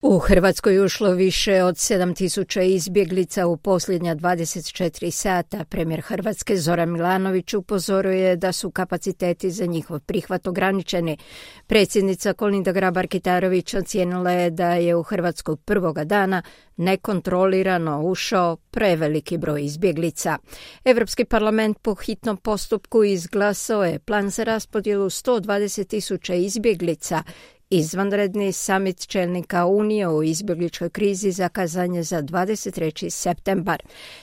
U Hrvatskoj je ušlo više od 7.000 izbjeglica u posljednja 24 sata. Premijer Hrvatske Zoran Milanović upozoruje da su kapaciteti za njihov prihvat ograničeni. Predsjednica Kolinda Grabar-Kitarović ocijenila je da je u Hrvatsku prvoga dana nekontrolirano ušao preveliki broj izbjeglica. Europski parlament po hitnom postupku izglasao je plan za raspodjelu 120.000 izbjeglica. Izvanredni samit čelnika Unije o izbjegličkoj krizi zakazan je za 23. septembar.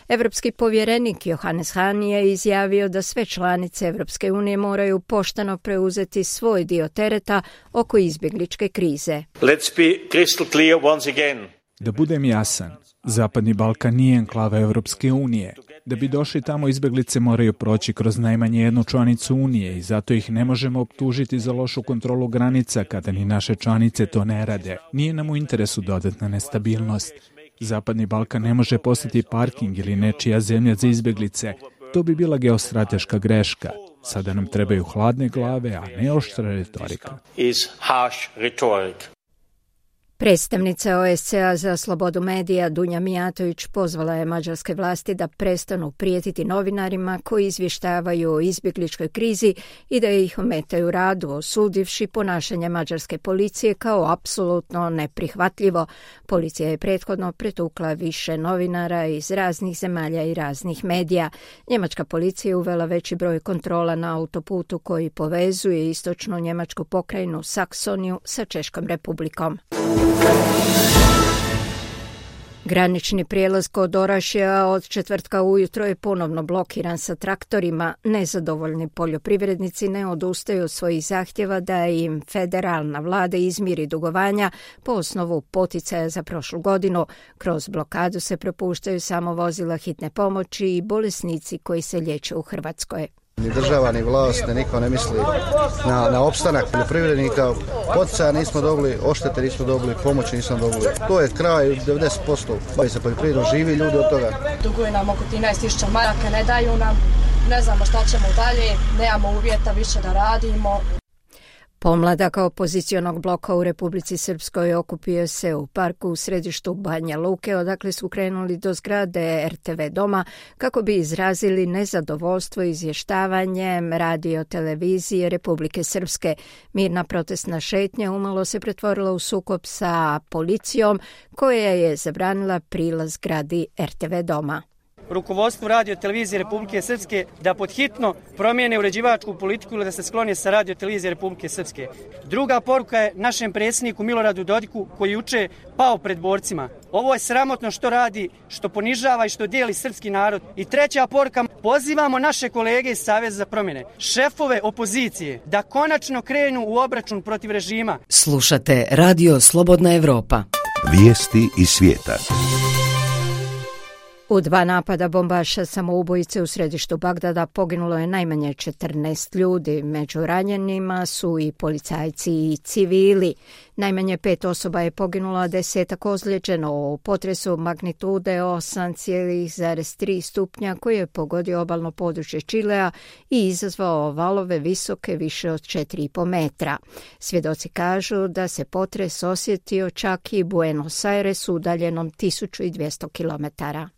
Europski povjerenik Johannes Hahn je izjavio da sve članice Europske unije moraju pošteno preuzeti svoj dio tereta oko izbjegličke krize. Let's be crystal clear once again. Da budem jasan, Zapadni Balkan nije enklava Europske unije. Da bi došli tamo, izbjeglice moraju proći kroz najmanje jednu članicu Unije i zato ih ne možemo optužiti za lošu kontrolu granica kada ni naše članice to ne rade. Nije nam u interesu dodatna nestabilnost. Zapadni Balkan ne može postati parking ili nečija zemlja za izbjeglice. To bi bila geostrateška greška. Sada nam trebaju hladne glave, a ne oštra retorika. Predstavnica OSCE-a za slobodu medija Dunja Mijatović pozvala je mađarske vlasti da prestanu prijetiti novinarima koji izvještavaju o izbjegličkoj krizi i da ih ometaju radu, osudivši ponašanje mađarske policije kao apsolutno neprihvatljivo. Policija je prethodno pretukla više novinara iz raznih zemalja i raznih medija. Njemačka policija je uvela veći broj kontrola na autoputu koji povezuje istočnu njemačku pokrajinu Saksoniju sa Češkom republikom. Granični prijelaz kod Orašja od četvrtka ujutro je ponovno blokiran sa traktorima. Nezadovoljni poljoprivrednici ne odustaju od svojih zahtjeva da im federalna vlada izmiri dugovanja po osnovu poticaja za prošlu godinu. Kroz blokadu se propuštaju samo vozila hitne pomoći i bolesnici koji se liječe u Hrvatskoj. Ni država, ni vlast, niko ne misli na opstanak poljoprivrednika. Poticaja nismo dobili, oštete nismo dobili, pomoći nismo dobili. To je kraj 90%. Bavi se poljoprivredom, živi ljudi od toga. Duguju nam oko 13.000 maraka, ne daju nam, ne znamo šta ćemo dalje, nemamo uvjeta više da radimo. Pomladak opozicionog bloka u Republici Srpskoj okupio se u parku u središtu Banja Luke, odakle su krenuli do zgrade RTV doma kako bi izrazili nezadovoljstvo izvještavanjem radio televizije Republike Srpske. Mirna protestna šetnja umalo se pretvorila u sukob sa policijom koja je zabranila prilaz zgradi RTV doma. Rukovodstvu radio televizije Republike Srpske da podhitno promijene uređivačku politiku ili da se sklone sa radio televizije Republike Srpske. Druga poruka je našem predsjedniku Miloradu Dodiku koji juče pao pred borcima. Ovo je sramotno što radi, što ponižava i što dijeli srpski narod. I treća poruka, pozivamo naše kolege iz Saveza za promjene, šefove opozicije, da konačno krenu u obračun protiv režima. Slušate Radio Slobodna Evropa. Vijesti iz svijeta. U 2 napada bombaša samoubojice u središtu Bagdada poginulo je najmanje 14 ljudi. Među ranjenima su i policajci i civili. Najmanje 5 osoba je poginulo, a 10 ozlijeđeno u potresu magnitude 8,3 stupnja koji je pogodio obalno područje Čilea i izazvao valove visoke više od 4,5 metra. Svjedoci kažu da se potres osjetio čak i Buenos Airesu udaljenom 1200 kilometara.